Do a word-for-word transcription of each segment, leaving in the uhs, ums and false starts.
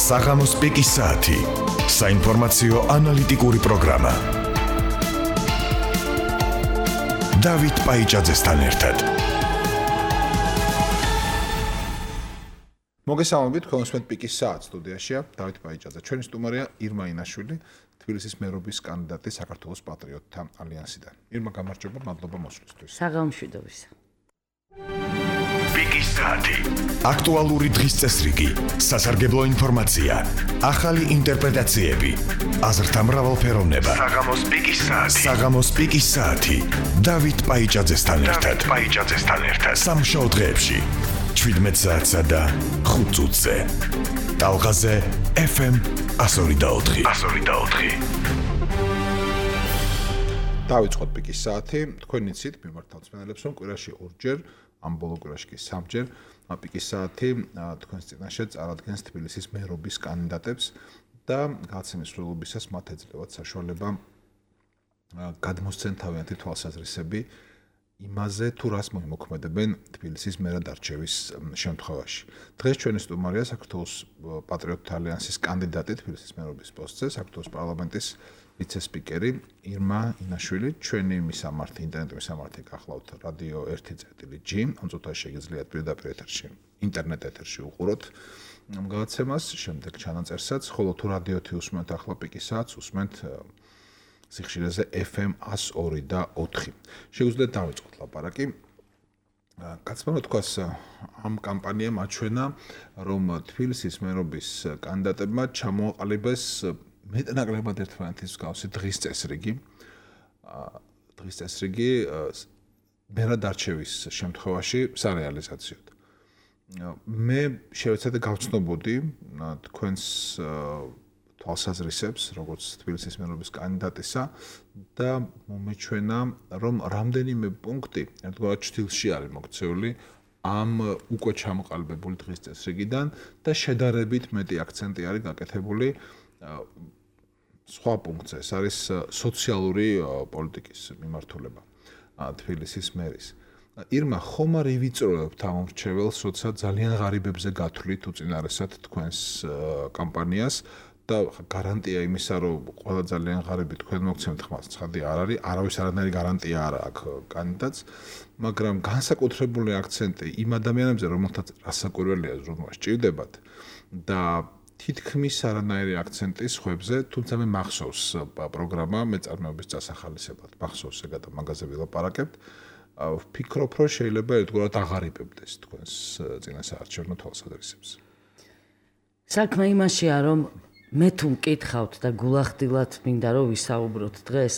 საღამოს პიკის საათი. საინფორმაციო ანალიტიკური პროგრამა. დავით პაიჭაძესთან ერთად. მოგესალმებით, კონსმეთ პიკის საათს სტუდიაშია დავით პაიჭაძე. ჩვენი სტუმარია ირმა ინაშვილი, თბილისის მერობის კანდიდატი საქართველოს პატრიოტთა ალიანსიდან. ირმა, გამარჯობა, მადლობა მოსვლისთვის. საგამშვიდობისა. პიკის საათი. აქტუალური დღის წესრიგი, სასარგებლო ინფორმაცია, ახალი ინტერპრეტაციები, აზრთა მრავალფეროვნება. საღამოს პიკის საათი. საღამოს პიკის საათი. დავით პაიჭაძესთან ერთად. დავით პაიჭაძესთან ერთად. სამშაბათ დღეებში შვიდმეტ საათსა და ხუთ წუთზე. ტალღაზე ეფ ემ εκατო ორი და ოთხი. εκατო ორი და ოთხი. დავიწყოთ პიკის საათი. თქვენი ცით მიმართავთ მსმენელებს, რომ კვირაში ორჯერ, ამ ბოლო კვირაში კი სამჯერ პიკის საათი თქვენს წინაშე წარადგენს თბილისის მერობის კანდიდატებს და გაცემის სრულობისას მათ ეძლევათ საშუალება გადმოსცენ თავიანთი თვალსაზრისები იმაზე, თუ რას მოიმოქმედებენ თბილისის მერად არჩევის შემთხვევაში. დღეს ჩვენი სტუმარია საქართველოს პატრიოტთა ალიანსის კანდიდატი თბილისის მერობის პოსტზე, საქართველოს პარლამენტის ვიცე-სპიკერი ირმა ინაშვილი. ჩვენი მისამართი, ინტერნეტ მისამართი გახლავთ რადიო ერთი ჯი, ამ წუთაში შეგიძლიათ პირდაპირ ეთერში, ინტერნეტ ეთერში უყუროთ ამ გადაცემას, შემდეგ ჩანაწერსაც, ხოლო თუ რადიოთი უსმენთ ახლა პიკის საათს, უსმენთ სიხშირეზე ეფ ემ εκατო ორი და ოთხი. შეგვიძლიათ დავიწყოთ ლაპარაკი. კაცმა რა თქვას, ამ კამპანიამ აჩვენა, რომ თბილისის მერობის კანდიდატებმა ჩამოაყალიბეს მეტნაკლებად ერთმანეთის მსგავსი დღის წესრიგი. დღის წესრიგი მერად არჩევის შემთხვევაში სარეალიზაციოდ. მე შევეცადე გავცნობოდი თქვენს თვალსაზრისებს, როგორც თბილისის მერობის კანდიდატისა და მომეჩვენა, რომ რამდენიმე პუნქტი ერთგვარად ჭრილში არის მოქცეული ამ უკვე ჩამოყალიბებული დღის წესრიგიდან და შედარებით მეტი აქცენტი არის გაკეთებული სხვა პუნქტზე. ეს არის სოციალური პოლიტიკის მიმართულება თბილისის მერის. ირმა, ხომ არ ივიწროებთ ამ მრჩეველს, როცა ძალიან ღარიბებზე გათვლით უწინარესად თქვენს კამპანიას და გარანტია იმისა, რომ ყველა ძალიან ღარიბი თქვენ მოგცემთ ხმას, ცხადი არ არის, არავის არანაირი გარანტია არ აქვს კანდიდატს, მაგრამ განსაკუთრებული აქცენტი იმ ადამიანებზე, რომელთაც რასაკვირველია ზრუნვა სჭირდებათ და თითქმის არანაირი აქცენტი სხვებზე, თუმცა მე მახსოვს პროგრამა მეწარმეობის წასახალისებლად, მახსოვს ეგ და მაგაზე ვილაპარაკებთ. ვფიქრობ, რომ შეიძლება ერთგვარად აღარიბებდეს თქვენს წინასაარჩევნო თვალსაზრისებს. საქმე იმაშია, რომ მე თუ მკითხავთ და გულახდილად მინდა რომ ვისაუბროთ დღეს,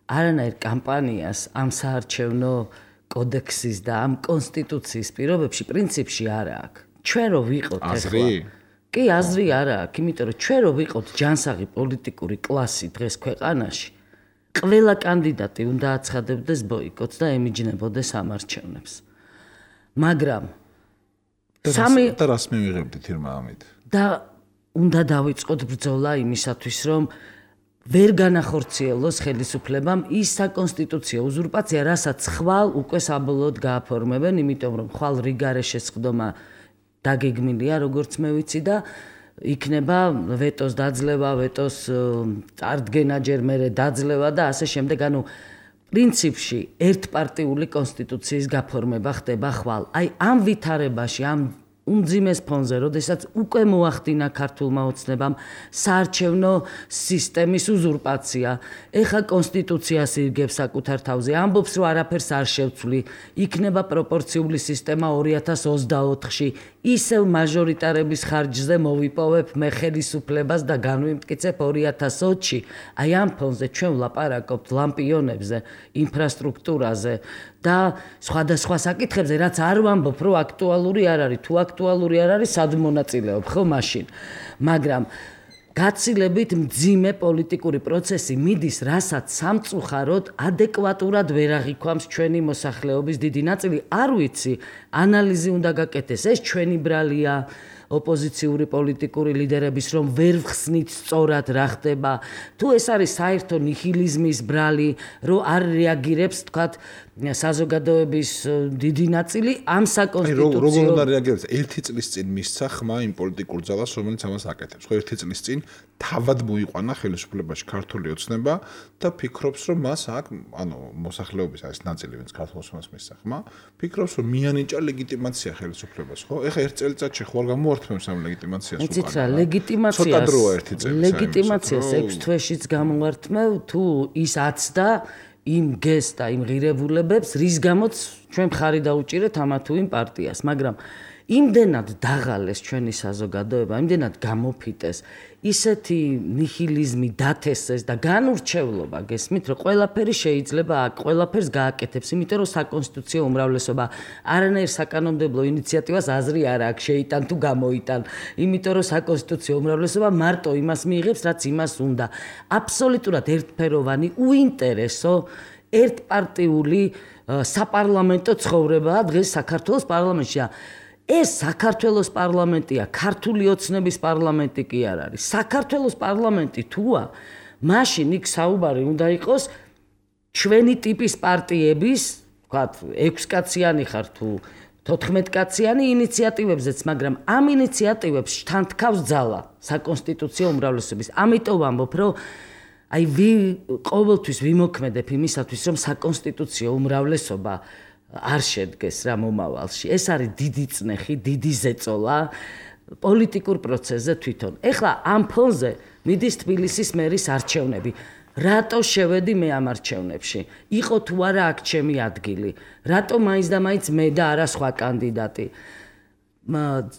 არანაირ კამპანიას ამ საარჩევნო კოდექსის და ამ კონსტიტუციის პირობებში პრინციპში არ აქვს. ჩვენ რო ვიყოთ ახლა კი აზრი არ აქვს, იმიტომ რომ ჩვენ რო ვიყოთ ჯანსაღი პოლიტიკური კლასი დღეს ქვეყანაში, ყველა კანდიდატი უნდა აცხადებდეს ბოიკოტს და ემიჯნებოდეს ამ არჩევნებს. მაგრამ სამი და რას მივიღებდით ირმა ამით? და უნდა დავიწყოთ ბრძოლა იმისათვის, რომ ვერ განახორციელოს ხელისუფლებამ ის საკონსტიტუციო უზურპაცია, რასაც ხვალ უკვე საბოლოოდ გააფორმებენ, იმიტომ რომ ხვალ რიგარე შესყდომა დაგეგმილია, როგორც მე ვიცი და იქნება ვეტოს დაძლევა, ვეტოს წარდგენა ჯერ მერე დაძლევა და ასე შემდეგ, ანუ პრინციპში ერთპარტიული კონსტიტუციის გაფორმება ხდება ხვალ. აი ამ ვითარებაში, ამ უმძიმეს ფონზე, როდესაც უკვე მოახდინა ქართულმა ოცნებამ საარჩევნო სისტემის უზურპაცია, ეხა კონსტიტუციას ირგებს საკუთარ თავზე, ამბობს, რომ არაფერს არ შევცვლი, იქნება პროპორციული სისტემა ორი ათას ოცდაოთხში, ისევ მაჟორიტარების ხარჯზე მოვიპოვებ მე ხელისუფლებას და განვიმტკიცებ ორი ათას ოცში. აი ამ ფონზე ჩვენ ვლაპარაკობთ ლამპიონებზე, ინფრასტრუქტურაზე და სხვადასხვა საკითხებზე, რაც არ ვამბობ, რომ აქტუალური არ არის, თუ აქტუალური არ არის, სად მონაწილეობ, ხო მაშინ. მაგრამ გაცილებით მძიმე პოლიტიკური პროცესი მიდის, რასაც სამწუხაროდ ადეკვატურად ვერ აღიქვამს ჩვენი მოსახლეობის დიდი ნაწილი. არ ვიცი, ანალიზი უნდა გაკეთდეს, ეს ჩვენი ბრალია, ოპოზიციური პოლიტიკური ლიდერების, რომ ვერ ვხსნით სწორად რა ხდება, თუ ეს არის საერთო ნიჰილიზმის ბრალი, რომ არ რეაგირებს, თქვათ, საზოგადოების დიდი ნაწილი ამ საკონსტიტუციო როგორ უნდა რეაგირებს? ერთი წლის წინ მისცა ხმა იმ პოლიტიკურ ძალას, რომელიც ამას აკეთებს. ხო, ერთი წლის წინ თავად მოიყვანა ხელისუფლებაში ქართული ოცნება და ფიქრობს, რომ მას აქ, ანუ მოსახლეობის არის ნაწილი, ვინც ქართულ ოცნებას მისცა ხმა, ფიქრობს, რომ მიანიჭა ლეგიტიმაცია ხელისუფლებას, ხო? ეხლა ერთ წელიწადში ხო არ გამოართმევს ამ ლეგიტიმაციას უკან. იცით რა, ლეგიტიმაციას ცოტა დროა ერთი წელი. ლეგიტიმაციას ექვს თვეშიც გამოვართმევ, თუ ის აცდა იმ გეს და იმ ღირებულებებს, რის გამოც ჩვენ მხარი დაუჭირეთ ამა თუ იმ პარტიას, მაგრამ იმდენად დაღალეს ჩვენი საზოგადოება, იმდენად გამოფიტეს, ისეთი ნიჰილიზმი დათესეს და განურჩევლობა გესმით, რომ ყველაფერი შეიძლება აქ ყველაფერს გააკეთებს, იმიტომ რომ საკონსტიტუციო უმრავლესობა არანაირ საკანონმდებლო ინიციატივას აზრი არ აქვს შეიტან თუ გამოიტან, იმიტომ რომ საკონსტიტუციო უმრავლესობა მარტო იმას მიიღებს, რაც იმას უნდა. აბსოლუტურად ერთფეროვანი, უინტერესო, ერთპარტიული საპარლამენტო ცხოვრებაა დღეს საქართველოს პარლამენტში. ეს საქართველოს პარლამენტია, ქართული ოცნების პარლამენტი კი არ არის. საქართველოს პარლამენტი თუა, მაშინ იქ საუბარი უნდა იყოს ჩვენი ტიპის პარტიების, ვთქვათ, ექვსკაციანი ხარ თუ თოთხმეტკაციანი ინიციატივებზეც, მაგრამ ამ ინიციატივებს თან თქავს ძალა საკონსტიტუციო უმრავლესობის. ამიტომ ვამბობ, რომ აი ყოველთვის ვიმოქმედებ იმისათვის, რომ საკონსტიტუციო უმრავლესობა არ შედგეს რა მომავალში. ეს არის დიდი წნეხი, დიდი ზეწოლა პოლიტიკურ პროცესზე თვითონ. ეხლა ამ ფონზე მიდის თბილისის მერის არჩევნები. რატო შევედი მე ამ არჩევნებში? იყო თუ არა აქ ჩემი ადგილი? რატო მაინც და მაინც მე და არა სხვა კანდიდატი?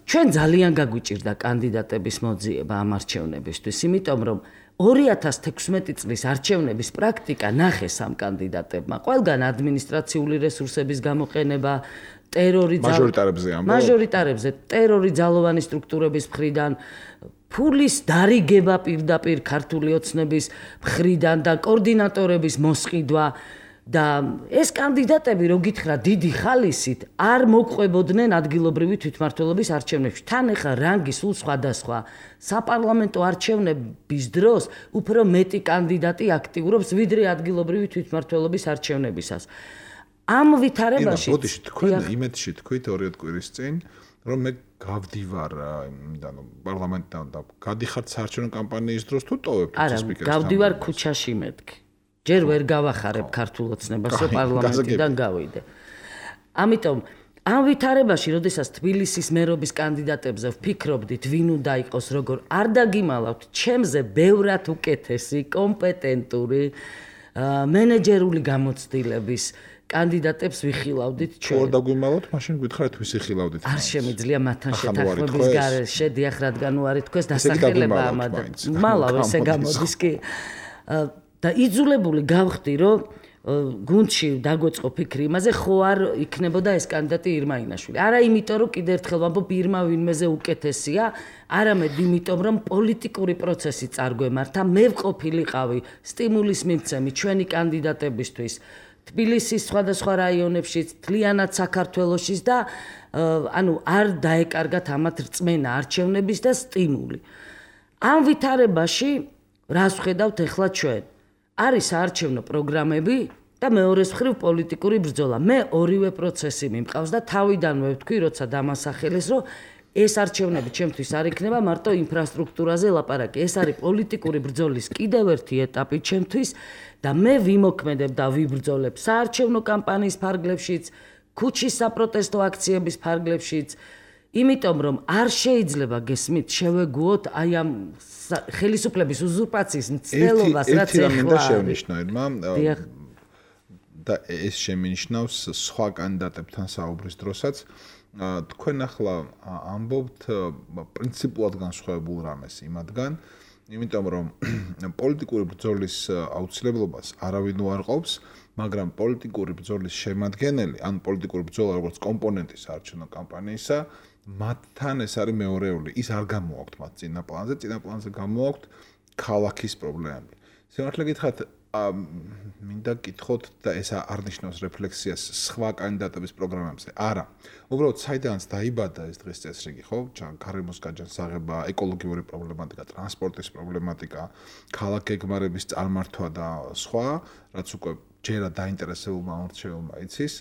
ჩვენ ძალიან გაგვიჭირდა კანდიდატების მოძიება ამ არჩევნებისთვის, იმიტომ რომ ორი ათას თექვსმეტი წლის არჩევნების პრაქტიკა ნახეს ამ კანდიდატებმა. ყველგან ადმინისტრაციული რესურსების გამოყენება, ტერორი მაჟორიტარებზე ამბობ. მაჟორიტარებზე, ტერორი ძალოვანი სტრუქტურების მხრიდან, ფულის დარიგება პირდაპირ ქართული ოცნების მხრიდან და კოორდინატორების მოსყიდვა. და ეს კანდიდატები, რო გითხრა დიდი ხალისით, არ მოყვებოდნენ ადგილობრივი თვითმმართველობის არჩევნებში. თან ეხა რანგი სულ სხვადასხვა. საპარლამენტო არჩევნების დროს უფრო მეტი კანდიდატი აქტიურობს, ვიდრე ადგილობრივი თვითმმართველობის არჩევნებისას. ამ ვითარებაში ბოდიში თქვენ იმედში თქვით ორი კვირის წინ, რომ მე გავდივარ იმიდან პარლამენტთან და გადიხართ საარჩევნო კამპანიის დროს თუ ტოვებთ სპიკერს? არა, გავდივარ ქუჩაში მეთქი. ჯერ ვერ გავახარებ ქართულ ოცნებას, რომ პარლამენტიდან გავიდე. ამიტომ ამ ვითარებაში, როდესაც თბილისის მერობის კანდიდატებზე ვფიქრობდით, ვინ უნდა იყოს, როგორ არ დაგიმალავთ, ჩემზე ბევრად უკეთესი, კომპეტენტური, მენეჯერული გამოცდილების კანდიდატებს ვიხილავდით ჩვენ. თუ არ დაგვიმალავთ, მაშინ გითხარით ვის იხილავდით? არ შემიძლია მათთან შეთანხმების გარეშე, დიახ, რადგან უარი თქვეს დასახელება ამად. მალავ ესე გამოდის კი. და იძულებული გავხდი, რომ გუნდში დაგვეწყო ფიქრი იმაზე, ხო არ იქნებოდა ეს კანდიდატი ირმა ინაშვილი. არა იმიტომ, რომ კიდევ ერთხელ ვამბობ, ირმა ვინმეზე უკეთესია, არამედ იმიტომ, რომ პოლიტიკური პროცესი წარგვემართა, მე ვყოფილიყავი სტიმულის მიმცემი ჩვენი კანდიდატებისთვის, თბილისის სხვადასხვა რაიონებშიც, მთლიანად საქართველოშიც და ანუ არ დაეკარგათ ამათ რწმენა არჩევნების და სტიმული. ამ ვითარებაში რას ვხედავთ ახლა ჩვენ? არის საარჩევნო პროგრამები და მეორეს მხრივ პოლიტიკური ბრძოლა. მე ორივე პროცესი მიმყავს და თავიდანვე ვთქვი, როცა დამასახელეს, რომ ეს არჩევნები ჩემთვის არ იქნება მარტო ინფრასტრუქტურაზე ლაპარაკი. ეს არის პოლიტიკური ბრძოლის კიდევ ერთი ეტაპი ჩემთვის და მე ვიმოქმედებ და ვიბრძოლებ საარჩევნო კამპანიის ფარგლებშიც, ქუჩის საპროტესტო აქციების ფარგლებშიც. იმიტომ რომ არ შეიძლება გესმით შევეგუოთ აი ამ ხელისუფლების უზურპაციის მცდელობას, რაც ეხლა შემინიშნა ირმა და ეს შემინიშნავს სხვა კანდიდატებთან საუბრის დროსაც. თქვენ ახლა ამბობთ პრინციპულად განსხვავებულ რამეს იმათგან, იმიტომ რომ პოლიტიკური ბრძოლის აუცილებლობას არავინ უარყოფს, მაგრამ პოლიტიკური ბრძოლის შემადგენელი, ან პოლიტიკური ბრძოლა როგორც კომპონენტი საარჩევნო კამპანიისა, მათთან ეს არის მეორეული. ის არ გამოაქვთ მათ წინა პლანზე, წინა პლანზე გამოაქვთ ქალაქის პრობლემები. სიმართლე გითხრათ, მინდა გითხოთ და ეს არ ნიშნავს რეფლექსიას სხვა კანდიდატების პროგრამებზე. არა. უბრალოდ საიდანაც დაიბადა ეს დღის წესრიგი, ხო? გარემოს გაჯანსაღება, ეკოლოგიური პრობლემატიკა, ტრანსპორტის პრობლემატიკა, ქალაქ გეგმარების წარმართვა და სხვა, რაც უკვე ჯერა დაინტერესებულმა მომრჩეველმა იცის.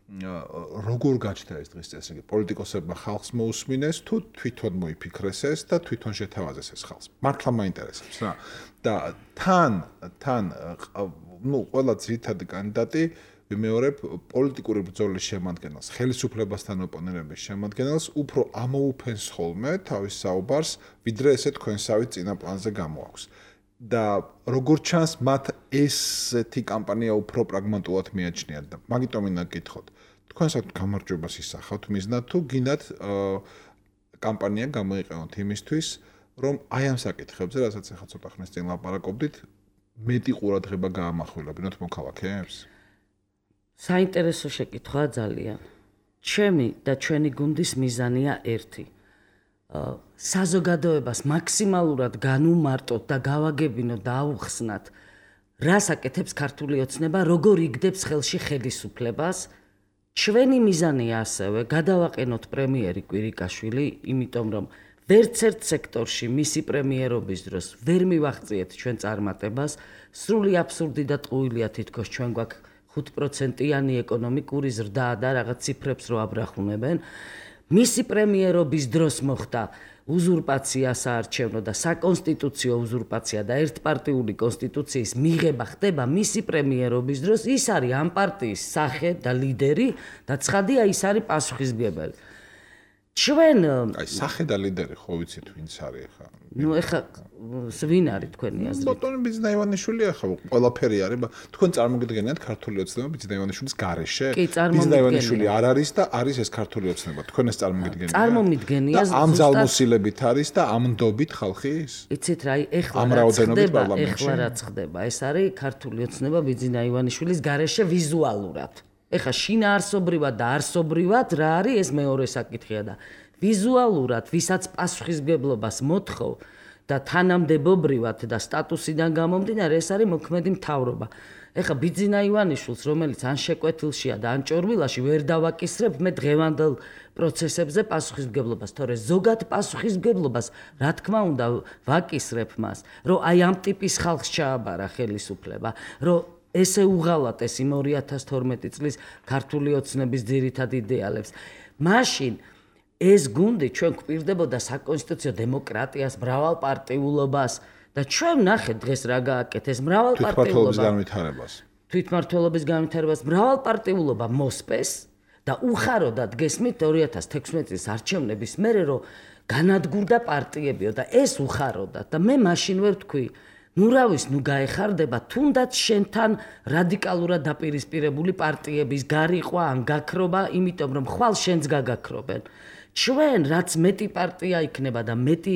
როგორ გაჩნდა ეს დღის წესრიგი? პოლიტიკოსებმა ხალხს მოусმინეს თუ თვითონ მოიფიქრეს ეს და თვითონ შეთავაზეს ეს ხალხს? მართლა მაინტერესებს რა. და თან თან ну, ყველა ძირითადი კანდიდატი ვიმეორებ პოლიტიკური ბრძოლის შემადგენელს, ხელისუფლებასთან ოპონირების შემადგენელს უფრო ამოუფენს ხოლმე თავის საუბარს, ვიდრე ესე თქვენსავე წინა პლანზე გამოაქვს. და როგორ ჩანს მათ ესეთი კამპანია უფრო პრაგმატულად მიაჩნიათ და მაგიტომ მინდა გითხოთ. თქვენსაც გამარჯვებას ისახავთ მიზნად თუ გინდათ კამპანია გამოიყენოთ იმისთვის, რომ აი ამ საკითხებზე, რასაც ახლა ცოტა ხნის წინ ლაპარაკობდით, მეტი ყურადღება გაამახვილებინოთ მოქალაქეებს? საინტერესო შეკითხვაა ძალიან. ჩემი და ჩვენი გუნდის მიზანია ერთი. საზოგადოებას მაქსიმალურად განუმარტოთ და გავაგებინოთ და აუხსნათ, რას აკეთებს ქართული ოცნება, როგორ იგდებს ხელში ხელისუფლებას. ჩვენი მიზანია ასევე გადავაყენოთ პრემიერი კვირიკაშვილი, იმიტომ რომ ვერც ერთ სექტორში მისი პრემიერობის დროს ვერ მივაღწიეთ ჩვენ წარმატებას, სრული აბსურდი და ტყუილია თითქოს ჩვენ გვაქვს ხუთ პროცენტიანი ეკონომიკური ზრდა და რაღაც ციფრებს რო აბრახუნებენ. მისი პრემიერობის დროს მოხდა უზურპაცია საარჩევნო და საკონსტიტუციო უზურპაცია და ერთპარტიული კონსტიტუციის მიღება ხდება მისი პრემიერობის დროს. ის არის ამ პარტიის სახე და ლიდერი და ცხადია ის არის პასუხისმგებელი. ჩვენ აი სახე და ლიდერი ხო ვიცით ვინც არის ახლა? ნუ ახლა ვინ არის თქვენი აზრით? ბატონი ბიძინა ივანიშვილი ახლა ყველაფერი არის, თქვენ წარმოგიდგენიათ ქართული ოცნება ბიძინა ივანიშვილის გარეშე? ბიძინა ივანიშვილი არ არის და არის ეს ქართული ოცნება. თქვენ ეს წარმოგიდგენიათ? წარმომიდგენია ზუსტად. ამ ძალმოსილებით არის და ამ ნდობით ხალხი ის? იცით რა, ეხლა რაც ხდება, ეხლა რაც ხდება, ეს არის ქართული ოცნება ბიძინა ივანიშვილის გარეშე ვიზუალურად. ეხა შინაარსობრივად და არსობრივად რა არის ეს მეორე საკითხია და ვიზუალურად ვისაც პასუხისმგებლობას მოთხოვ და თანამდებობრივად და სტატუსიდან გამომდინარე ეს არის მოქმედი მთავრობა. ეხა ბიძინა ივანიშვილს, რომელიც ან შეკვეთილშია და ან ჭორვილაში ვერ დავაკისრებ მე დღევანდელ პროცესებზე პასუხისმგებლობას, თორე ზოგად პასუხისმგებლობას, რა თქმა უნდა, ვაკისრებ მას, რომ აი ამ ტიპის ხალხს ჩააბარა ხელისუფლება, რომ ესე უღალატეს იმ ორი ათას თორმეტი წლის ქართული ოცნების ძირითად იდეალებს. მაშინ ეს გუნდი ჩვენ გვპირდებოდა საკონსტიტუციო დემოკრატიას, მრავალპარტიულობას და ჩვენ ნახეთ დღეს რა გააკეთეს მრავალპარტიულობა. თვითმმართველობის განვითარებას. თვითმმართველობის განვითარებას მრავალპარტიულობა მოსპეს და უხაროდათ გესმით ორი ათას თექვსმეტი წლის არჩევნების მერე რომ განადგურდა პარტიებიო და ეს უხაროდათ და მე მაშინ ვერ ვთქვი ნუ რავის, ნუ გაეხარდება, თუნდაც შენთან რადიკალურად დაპირისპირებული პარტიების გარიყვა ან გაქრობა, იმიტომ რომ ხვალ შენს გაგაქრობენ. ჩვენ რაც მეტი პარტია იქნება და მეტი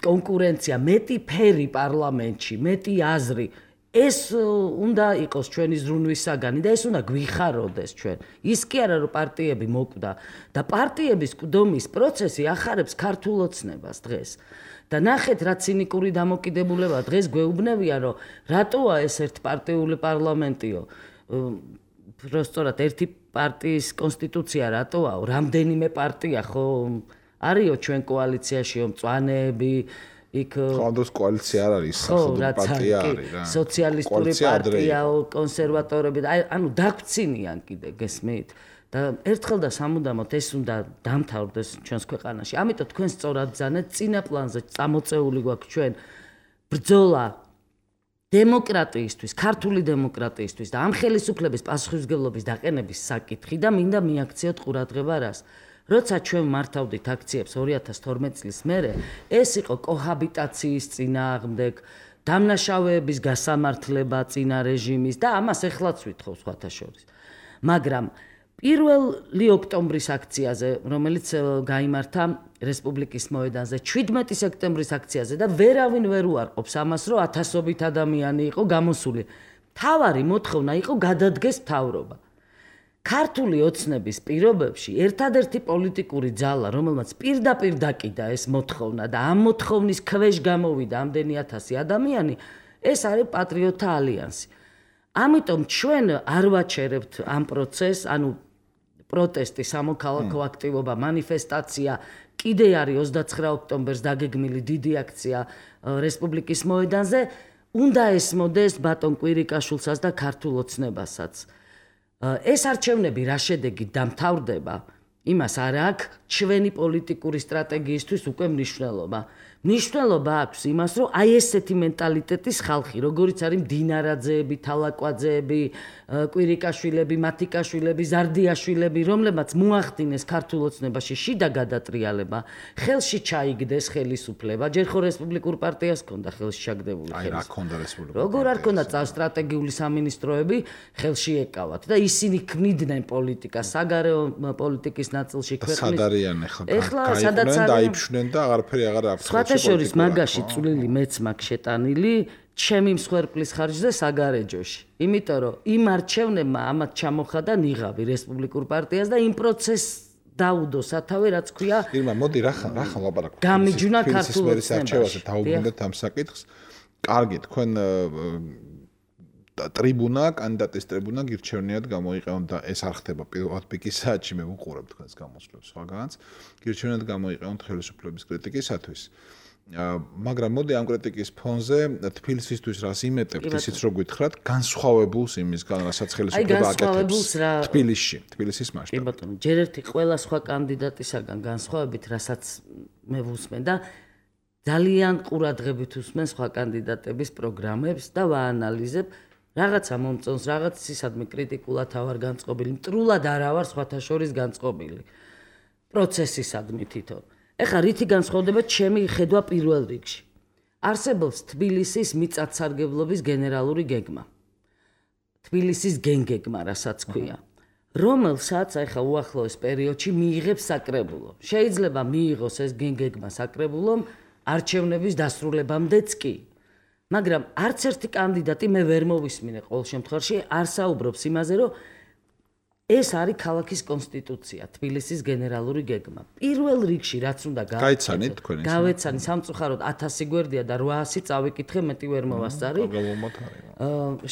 კონკურენცია, მეტი ფერი პარლამენტში, მეტი აზრი, ეს უნდა იყოს ჩვენი ზრუნვის საგანი და ეს უნდა გვიხაროდეს ჩვენ. ის კი არა რომ პარტიები მოკვდა და პარტიების ყდომის პროცესი ახარებს ქართულ ოცნებას დღეს. და ნახეთ რა ცინიკური დამოკიდებულება დღეს გვეუბნებია რომ რატოა ეს ერთპარტიული პარლამენტიო პროსტორად ერთი პარტიის კონსტიტუცია რატოა რამდენიმე პარტია ხო არისო ჩვენ კოალიციაშიო მწვანეები იქ ხანდოს კოალიცია არ არის სახელმწიფო პარტია არის რა სოციალისტური პარტიაო კონსერვატორები ანუ დაგწინიან კიდე გესმით და ერთხელ და სამუდამოდ ეს უნდა დამთავრდეს ჩვენს ქვეყანაში. ამიტომ თქვენ სწორად ძანეთ წინა პლანზე წამოწეული გვაქვს ჩვენ ბრძოლა დემოკრატიისთვის, ქართული დემოკრატიისთვის და ამ ხელისუფლების პასუხისმგებლობის დაყენების საკითხი და მინდა მიაქციოთ ყურადღება რას. როცა ჩვენ მართავდით აქციებს ორი ათას თორმეტი წლის მერე, ეს იყო კოჰაბიტაციის წინააღმდეგ, დამნაშავეების გასამართლება წინა რეჟიმის და ამას ეხლაც ვითხოვს სხვათა შორის. მაგრამ პირველი ოქტომბრის აქციაზე, რომელიც გაიმართა რესპუბლიკის მოედანზე, შვიდმეტი სექტემბრის აქციაზე და ვერავინ ვერ უარყოფს ამას, რომ ათასობით ადამიანი იყო გამოსული. მთავარი მოთხოვნა იყო გადადგეს მთავრობა. ქართული ოცნების პირობებში ერთადერთი პოლიტიკური ძალა, რომელმაც პირდაპირ დაკიდა ეს მოთხოვნა და ამ მოთხოვნის ქვეშ გამოვიდა ამდენი ათასი ადამიანი, ეს არის პატრიოტთა ალიანსი. ამიტომ ჩვენ არ ვაჩერებთ ამ პროცესს, ანუ პროტესტი, სამოქალაქო აქტივობა, მანიფესტაცია, კიდე არის ოცდაცხრა ოქტომბერს დაგეგმილი დიდი აქცია რესპუბლიკის მოედანზე, უნდა ესმოდეს ბატონ კვირიკაშვილსაც და ქართულ ოცნებასაც. ეს არჩევნები რა შედეგით დამთავრდება, იმას არ აქვს ჩვენი პოლიტიკური სტრატეგიისთვის უკვე მნიშვნელობა. მნიშვნელობა აქვს იმას, რომ აი ესეთი მენტალიტეტის ხალხი, როგორიც არის მდინარაძეები, თალაკვაძეები, კვირიკაშვილები, მათიკაშვილები, ზარდიაშვილები, რომლებმაც მოახდინეს ქართულ ოცნებაში შიდა გადატრიალება, ხელში ჩაიგდეს ხელისუფლება, ჯერ ხო რესპუბლიკურ პარტიას ჰქონდა ხელში ჩაგდებული ხელისუფლება. აი რა ჰქონდა რესპუბლიკურ როგორ არ ჰქონდა სტრატეგიული სამინისტროები ხელში ეკავათ და ისინი ქმნიდნენ პოლიტიკას, საგარეო პოლიტიკის ნაწილში ქვეყნის. სად არიან ახლა? გაიყვნენ, დაიფშნენ და აღარაფერი აღარ აქვს. შორის მაგაში წვლილი მეც მაქვს შეტანილი ჩემი მსხვერპლის ხარჯზე საგარეჯოში. იმიტომ რომ იმ არჩევნებმა ამათ ჩამოხადა ნიღაბი რესპუბლიკურ პარტიას და იმ პროცესს დაუდო სათავე, რაც ქვია. ირმა, მოდი რახან, რახან ლაპარაკობთ. გამიჯვნა ქართულ ოცნებაში. დაუბრუნდეთ ამ საკითხს. კარგი, თქვენ ტრიბუნა, კანდიდატის ტრიბუნა გირჩევნიათ გამოიყენოთ და ეს არ ხდება პირველად პიკის საათში მე ვუყურებ თქვენს გამოსვლებს სხვაგანაც. გირჩევნიათ გამოიყენოთ ხელისუფლების კრიტიკისათვის. მაგრამ მოდი ამ კრიტიკის ფონზე თბილისისთვის რას იმეტებთ, ისიც რო გითხრათ, განსხვავებულს იმისგან, რასაც ხელისუფლება აკეთებს თბილისში, თბილისის მასშტაბით. კი ბატონო, ჯერ ერთი ყველა სხვა კანდიდატისაგან განსხვავებით, რასაც მე ვუსმენ და ძალიან ყურადღებით უსმენ სხვა კანდიდატების პროგრამებს და ვაანალიზებ რაღაცა მომწონს, რაღაც ისადმე კრიტიკულად ავარ განწყობილი, მტრულად არა ვარ სხვათა შორის განწყობილი. პროცესისადმი თვითონ. ეხლა რითი განსხვავდება ჩემი ხედვა პირველ რიგში. არსებობს თბილისის მიწათსარგებლობის გენერალური გეგმა. თბილისის გენგეგმა, რასაც ქვია, რომელსაც ეხლა უახლოეს პერიოდში მიიღებს საკრებულო. შეიძლება მიიღოს ეს გენგეგმა საკრებულომ არჩევნების დასრულებამდეც კი. მაგრამ არც ერთი კანდიდატი მე ვერ მოვისმინე ყოველ შემთხვევაში არ საუბრობს იმაზე, რომ ეს არის ქალაქის კონსტიტუცია, თბილისის გენერალური გეგმა. პირველ რიგში რაც უნდა გაიცანით თქვენ ეს. გავეცანი სამწუხაროდ ათასი გვერდია და რვაასი წავიკითხე, მეტი ვერ მოვასწარი.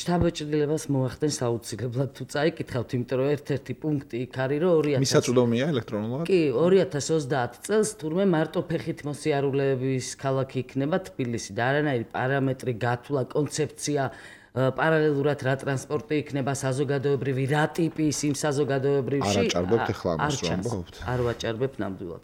შტაბ-ჭრილებას მოახდენს აუცილებლად თუ წაიკითხავთ, იმიტომ რომ ერთ-ერთი პუნქტი იქ არის, რომ ორი ათასი მისაწვდომია ელექტრონულად? კი, ორი ათას ოცდაათ წელს თურმე მარტო ფეხით მოსიარულეების ქალაქი იქნება თბილისი და არანაირი პარამეტრი, გათვლა, კონცეფცია პარალელურად რა ტრანსპორტი იქნება საზოგადოებრივი, რა ტიპის იმ საზოგადოებრივში არ აჭარბებთ ახლა ამას რომ ამბობთ. არ ვაჭარბებ ნამდვილად.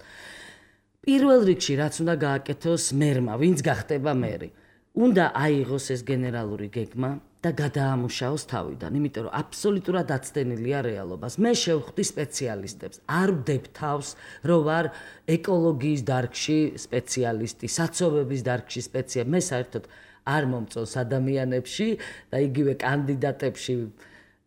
პირველ რიგში რაც უნდა გააკეთოს მერმა, ვინც გახდება მერი, უნდა აიღოს ეს გენერალური გეგმა და გადაამუშაოს თავიდან, იმიტომ რომ აბსოლუტურად აცდენილია რეალობას. მე შევხვდი სპეციალისტებს, არ ვდებ თავს, რომ ვარ ეკოლოგიის დარგში სპეციალისტი, საცობების დარგში სპეციალისტი, მე საერთოდ არ მომწონს ადამიანებში და იგივე კანდიდატებში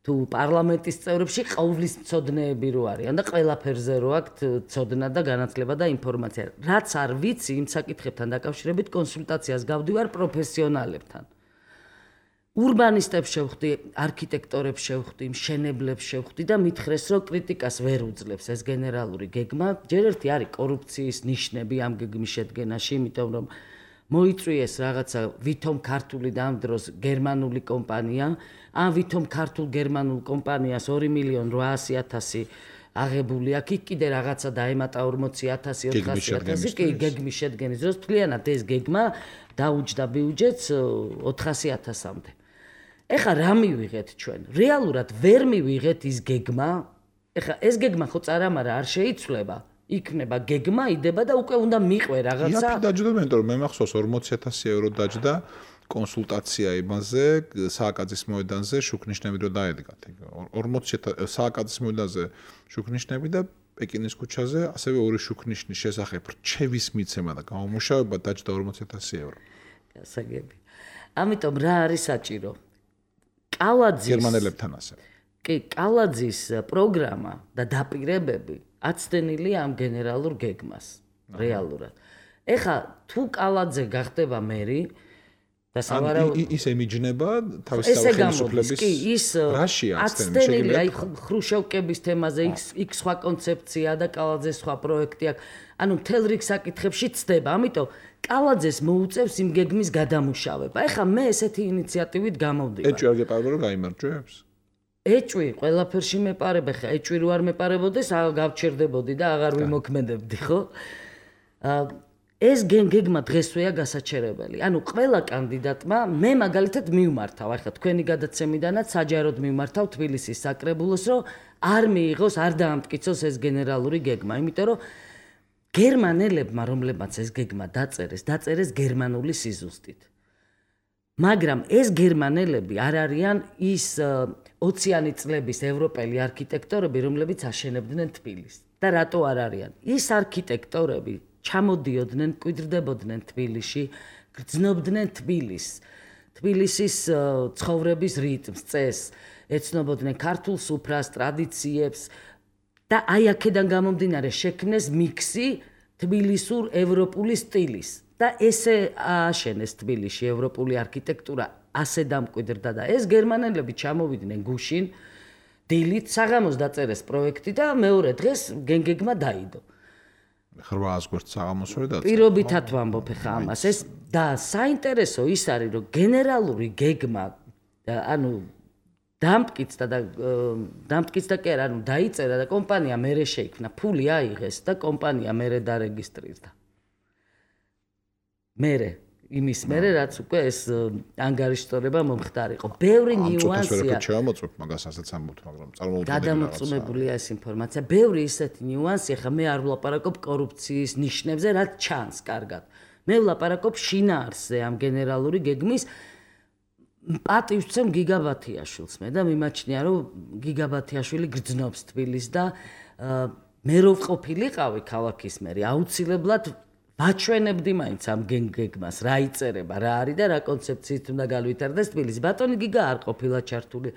თუ პარლამენტის წევრებში ყოვლის მცოდნეები რო არიან და ყველაფერზე რო აქვთ ცოდნა და განათლება და ინფორმაცია. რაც არ ვიცი იმ საკითხებთან დაკავშირებით კონსულტაციას გავდივარ პროფესიონალებთან. ურბანისტებს შევხვდი, არქიტექტორებს შევხვდი, მშენებლებს შევხვდი და მითხრეს, რომ კრიტიკას ვერ უძლებს ეს გენერალური გეგმა. ჯერ ერთი არის კორუფციის ნიშნები ამ გეგმის შედგენაში, იმიტომ რომ მოიწვიეს რაღაცა ვითომ ქართული და ამ დროს გერმანული კომპანია, ამ ვითომ ქართულ გერმანულ კომპანიას ორი მილიონი რვაასი ათასი აღებული აქვს, იქ კიდე რაღაცა დაემატა ორმოცი ათასი ოთხასი ათასი, კი გეგმის შედგენის დროს თვლიანად ეს გეგმა დაუჯდა ბიუჯეტს ოთხასი ათასამდე. ეხლა რა მივიღეთ ჩვენ? რეალურად ვერ მივიღეთ ის გეგმა. ეხლა ეს გეგმა ხო წარამარა არ შეიცვლება. იქნება გეგმა, იდება და უკვე უნდა მიყვე რაღაცა. იაფი დაჯდა, იმიტომ რომ მე მახსოვს ორმოცი ათასი ევრო დაჯდა კონსულტაცია იმაზე, სააკაძის მოედანზე შუქნიშნები რო დაედგათ. ორმოცი სააკაძის მოედანზე შუქნიშნები და პეკინის ქუჩაზე ასევე ორი შუქნიშნის შესახებ რჩევის მიცემა და გამომუშავება დაჯდა ორმოცი ათასი ევრო. გასაგები. ამიტომ რა არის საჭირო? კალაძის გერმანელებთან ასე. კი, კალაძის პროგრამა და დაპირებები აცდენილი ამ გენერალურ გეგმას რეალურად. ეხლა თუ კალაძე გახდება მერი, და სავარაუდოდ ის ემიჯნება თავისი ხელისუფლების რაშია აცდენილი აი ხრუშოვკების თემაზე იქ იქ სხვა კონცეფცია და კალაძეს სხვა პროექტი აქვს ანუ მთელ რიგ საკითხებში ცდება ამიტომ კალაძეს მოუწევს იმ გეგმის გადამუშავება ეხლა მე ესეთი ინიციატივით გამოვდივარ ეჭვი არ გეპარება რომ გაიმარჯვებს ეჭვი ყველაფერში მეპარებ ხა ეჭვი რო არ მეპარებოდეს გავჩერდებოდი და აღარ ვიმოქმედებდი ხო ეს გეგმა დღესვეა გასაჩერებელი. ანუ ყველა კანდიდატმა მე მაგალითად მივმართავ, ახლა თქვენი გადაცემიდანაც საჯაროდ მივმართავ თბილისის საკრებულოს, რომ არ მიიღოს, არ დაამტკიცოს ეს გენერალური გეგმა, იმიტომ რომ გერმანელებმა, რომლებმაც ეს გეგმა დაწერეს, დაწერეს გერმანული სიზუსტით. მაგრამ ეს გერმანელები არ არიან ის ოციანი წლების ევროპელი არქიტექტორები, რომლებიც აშენებდნენ თბილისს. და რატო არ არიან? ის არქიტექტორები ჩამოდიოდნენ, კვიდრდებოდნენ თბილისში, გრძნობდნენ თბილისს, თბილისის ცხოვრების რიტმს, წესს, ეცნობოდნენ ქართულ სუფრას, ტრადიციებს და აი აქედან გამომდინარე შექმნეს მიქსი თბილისურ ევროპული სტილის და ესე ააშენეს თბილისში ევროპული არქიტექტურა, ასე დამკვიდრდა და ეს გერმანელები ჩამოვიდნენ გუშინ, დილით საღამოს დაწერეს პროექტი და მეორე დღეს გენგეგმა დაიდო. ხრვას გვერდ საღამოსვე და პირობითად ვამბობ ხა ამას ეს და საინტერესო ის არის რომ გენერალური გეგმა ანუ დამტკიცდა და დამტკიცდა კი არა ანუ დაიწერა და კომპანია მერე შეიქმნა ფული აიღეს და კომპანია მერე დარეგისტრირდა მერე იმის მერე რაც უკვე ეს ანგარიშტორება მომხდარიყო ბევრი ნიუანსია ჩამოწვევ მაგას ასეც ამბობთ მაგრამ წარმოუდგენელი გადამოწმებულია ეს ინფორმაცია ბევრი ისეთი ნიუანსია ხა მე არ ვლაპარაკობ კორუფციის ნიშნებზე რაც ჩანს კარგად მე ვლაპარაკობ შინაარსზე ამ გენერალური გეგმის პატივს ვცემ გიგაბათიაშვილს მე და მიმაჩნია რომ გიგაბათიაშვილი გრძნობს თბილისს და მე რო ვყოფილიყავი ქალაქის მერი აუცილებლად ვაჩვენებდი მაინც ამ გეგმას რა იწერება რა არის და რა კონცეფციით უნდა განვითარდეს თბილისი ბატონი გიგა არ ყოფილა ჩართული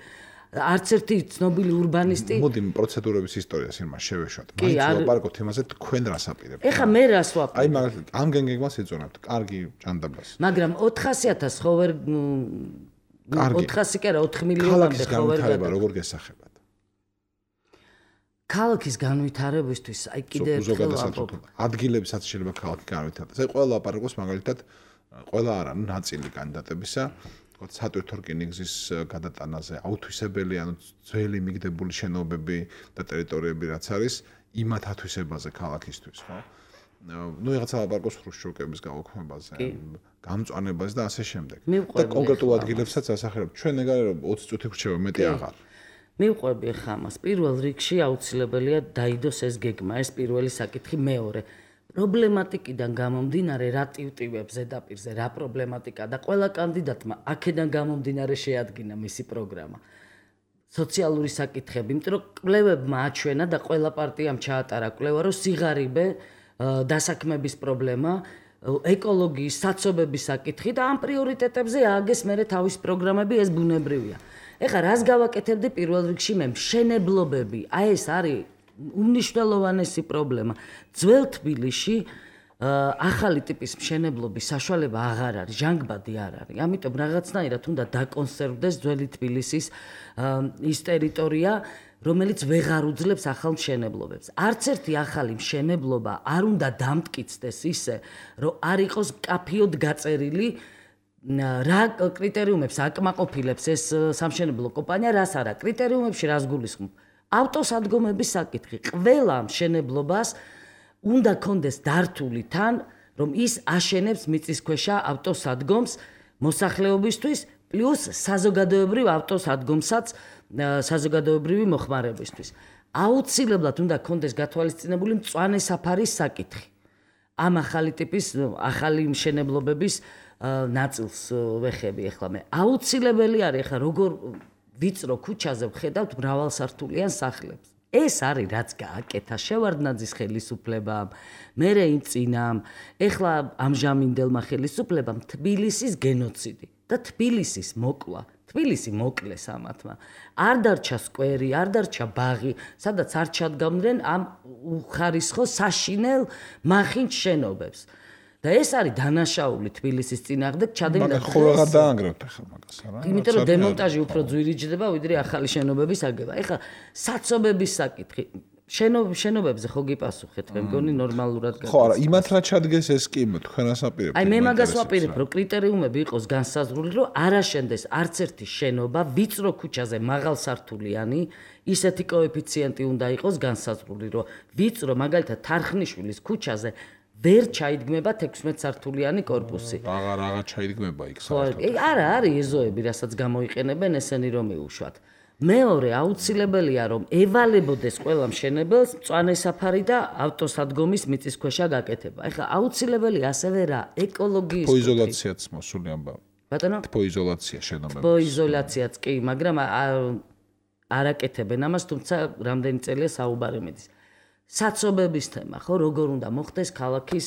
არც ერთი ცნობილი ურბანისტი მოდი პროცედურების ისტორიას იმას შევეშვათ მაინც ვაპარაკობთ იმაზე თქვენ რას აპირებთ ეხა მე რას ვაპარაკობ აი მაგალითად ამ გეგმას ეძონებთ კარგი ჭანდაბას მაგრამ ოთხასი ათას ხო ვერ ოთხასი კი არა ოთხ მილიონამდე ხო ვერ განვითარება როგორ გესახებათ ქალაქის განვითარებისთვის აი კიდე ერთხელ ვამბობ ადგილებსაც შეიძლება ქალაქი განვითარდეს აი ყველა ლაპარაკობს მაგალითად ყველა არა ნაწილი კანდიდატებისა თქო სატვირთო რკინიგზის გადატანაზე აუთვისებელი ანუ ძველი მიგდებული შენობები და ტერიტორიები რაც არის იმათ ათვისებაზე ქალაქისთვის ხო ну რაღაცა ლაპარაკობს ხრუშჩოვკების გაუქმებაზე გამწვანებაზე და ასე შემდეგ და კონკრეტულ ადგილებსაც ასახერებ ჩვენ ეგარ ოცი წუთი ვრჩება მეტი აღარ მივყვები ხა ამას პირველ რიგში აუცილებელია დაიდოს ეს გეგმა ეს პირველი საკითხი მეორე პრობლემატიკიდან გამომდინარე რა ტივტივებს ზედაპირზე რა პრობლემატიკა და ყველა კანდიდატმა აქედან გამომდინარე შეადგინა მისი პროგრამა სოციალური საკითხები იმიტომ რომ კვლევებმა აჩვენა და ყველა პარტიამ ჩაატარა კვლევა რომ სიღარიბე დასაქმების პრობლემა ეკოლოგიის საცობების საკითხი და ამ პრიორიტეტებზე ააგეს მერე თავის პროგრამები ეს ბუნებრივია ეხლა რას გავაკეთებდი პირველ რიგში მე მშენებლობები აი ეს არის უმნიშვნელოვანესი პრობლემა ძველ თბილისში ახალი ტიპის მშენებლობის საშუალება აღარ არის ჟანგბადი არ არის ამიტომ რაღაცნაირად უნდა დაკონსერვდეს ძველი თბილისის ის ტერიტორია რომელიც ვეღარ უძლებს ახალ მშენებლობებს არც ერთი ახალი მშენებლობა არ უნდა დამტკიცდეს ისე რომ არ იყოს კაფიოდ გაწერილი რა კრიტერიუმებს აკმაყოფილებს ეს სამშენებლო კომპანია რას არა კრიტერიუმებში რას გულისხმობ ავტოსადგომების საკითხი ყველა მშენებლობას უნდა კონდეს დართული თან რომ ის აშენებს მიწისქვეშა ავტოსადგომს მოსახლეობისთვის პლუს საზოგადოებრივ ავტოსადგომსაც საზოგადოებრივი მოხმარებისთვის აუცილებლად უნდა კონდეს გათვალისწინებული მწვანე საფარის საკითხი ამ ახალი ტიპის ახალი მშენებლობების ნაწილს ვეხები ახლა მე აუცილებელი არის ახლა როგორ ვიწრო ქუჩაზე ვხედავთ მრავალსართულიან სახლებს ეს არის რაც გააკეთა შევარდნაძის ხელისუფლებამ მერე იმ წინამ ეხლა ამჟამინდელმა ხელისუფლებამ თბილისის გენოციდი და თბილისის მოკლა თბილისი მოკლეს ამათმა არ დარჩა სკვერი არ დარჩა ბაღი სადაც არ ჩადგამდნენ ამ უხარისხო საშინელ მახინჯ შენობებს და ეს არის დანაშაული თბილისის წინააღმდეგ ჩადენდა. მაგრამ ხო აღარ დაანგრევთ ახლა მაგას არა? იმიტომ რომ დემონტაჟი უფრო ძვირიჯდება ვიდრე ახალი შენობების აგება. ეხლა საცობების საკითხი შენობებზე ხო გიპასუხეთ, მე მგონი ნორმალურად გაკეთდა. ხო, არა, იმათ რა ჩადგეს ეს კი თქვენ ასაპირებთ. აი მე მაგას ვაპირებ, რომ კრიტერიუმები იყოს განსაზღვრული, რომ არ აშენდეს არც ერთი შენობა ვიწრო ქუჩაზე მაღალსართულიანი, ისეთი კოეფიციენტი უნდა იყოს განსაზღვრული, რომ ვიწრო მაგალითად თარხნიშვილის ქუჩაზე ვერ ჩაიდგმება თექვსმეტ სართულიანი корпуსი. რაღა რაღა ჩაიდგმება იქ საერთოდ. არა, არის ეზოები, რასაც გამოიყენებენ ესენი რომ მიუშვათ. მეორე აუცილებელია რომ ევალებოდეს ყველა მშენებელს მწვანე საფარი და ავტოსადგომის მიწისქვეშა გაკეთება. ეხლა აუცილებელი ასევე რა ეკოლოგიის თბოიზოლაციაც მოსული ამბავი. ბატონო? თბოიზოლაცია შენობებში. თბოიზოლაციაც კი, მაგრამ არ აკეთებენ ამას, თუმცა რამდენი წელია საუბარი მიდის. საცობების თემა, ხო, როგორ უნდა მოხდეს ქალაქის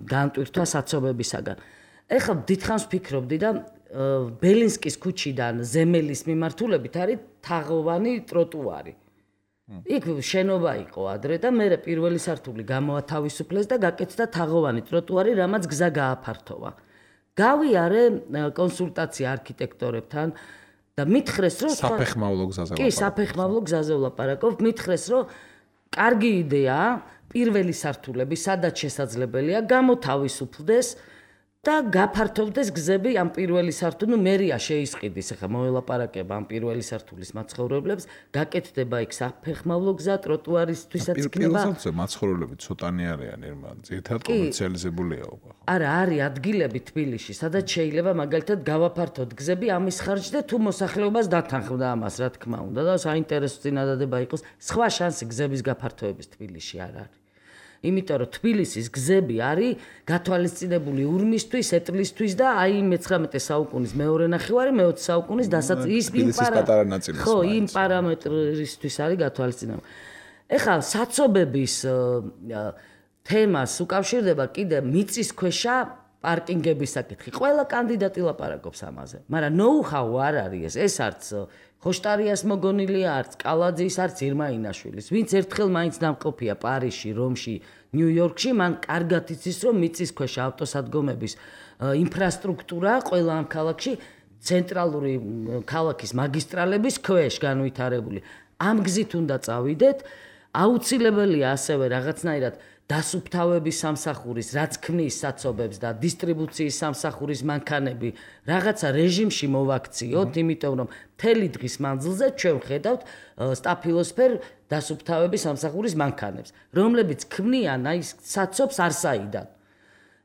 განტვირთვა საცობებისაგან. ეხლა დიდხანს ვფიქრობდი და ბელინსკის ქუჩიდან ზემელის მიმართულებით არის თაღოვანი ტროტუარი. იქ შენობა იყო ადრე და მე პირველი სართული გამოათავისუფლეს და გაკეთდა თაღოვანი ტროტუარი, რამაც გზა გააფართოვა. გავიარე კონსულტაცია არქიტექტორებთან და მითხრეს რომ საფეხმავლო გზაზე კი, საფეხმავლო გზაზე ვლაპარაკობ, მითხრეს რომ კარგი იდეაა პირველი სართულები, სადაც შესაძლებელია გამოთავისუფლდეს და გაფართოვდეს გზები ამ პირველი სართული, ნუ მერია შეისყიდის, ახლა მოელაპარაკება ამ პირველი სართულის მაცხოვრებლებს, გაკეთდება იქ საფეხმავლო გზა, ტროტუარისთვისაც იქნება. პირველ სართულზე მაცხოვრებლები ცოტანი არიან, ერთმანეთს ძირითადად კომერციალიზებულია უკვე. არა, არის ადგილები თბილისში, სადაც შეიძლება მაგალითად გავაფართოთ გზები ამის ხარჯზე და თუ მოსახლეობას დათანხმდა ამას, რა თქმა უნდა, და საინტერესო წინადადება იყოს, სხვა შანსი გზების გაფართოების თბილისში არ არის. იმიტომ რომ თბილისის გზები არის გათვალისწინებული ურმისთვის, ეტლისთვის და აი მეცხრამეტე საუკუნის მეორე ნახევარი, მეოცე საუკუნის დასაწყის იმ ხო, იმ პარამეტრისთვის არის გათვალისწინებული. ეხლა საცობების თემას უკავშირდება კიდე მიწისქვეშა პარკინგების საკითხი. ყველა კანდიდატი ლაპარაკობს ამაზე, მაგრამ ნოუ-ჰაუ არ არის ეს, ეს არც ხოშტარიას მოგონილია, არც კალაძის, არც ირმაინაშვილის. ვინც ერთხელ მაინც დამყოფია პარიზში, რომში, ნიუ-იორკში, მან კარგად იცის, რომ მიწისქვეშა ავტოსადგომების ინფრასტრუქტურა ყველა ამ ქალაქში ცენტრალური ქალაქის მაგისტრალების ქვეშ განვითარებული. ამ გზით უნდა წავიდეთ, აუცილებელია ასევე რაღაცნაირად დასუფთავების სამსახურის, რაც ქმნის საცობებს და დისტრიბუციის სამსახურის მანქანები რაღაცა რეჟიმში მოვაქციოთ, იმიტომ რომ მთელი დღის მანძილზე ჩვენ ვხედავთ სტაფილოსფერ დასუფთავების სამსახურის მანქანებს, რომლებიც ქმნიან აი საცობს არსაიდან.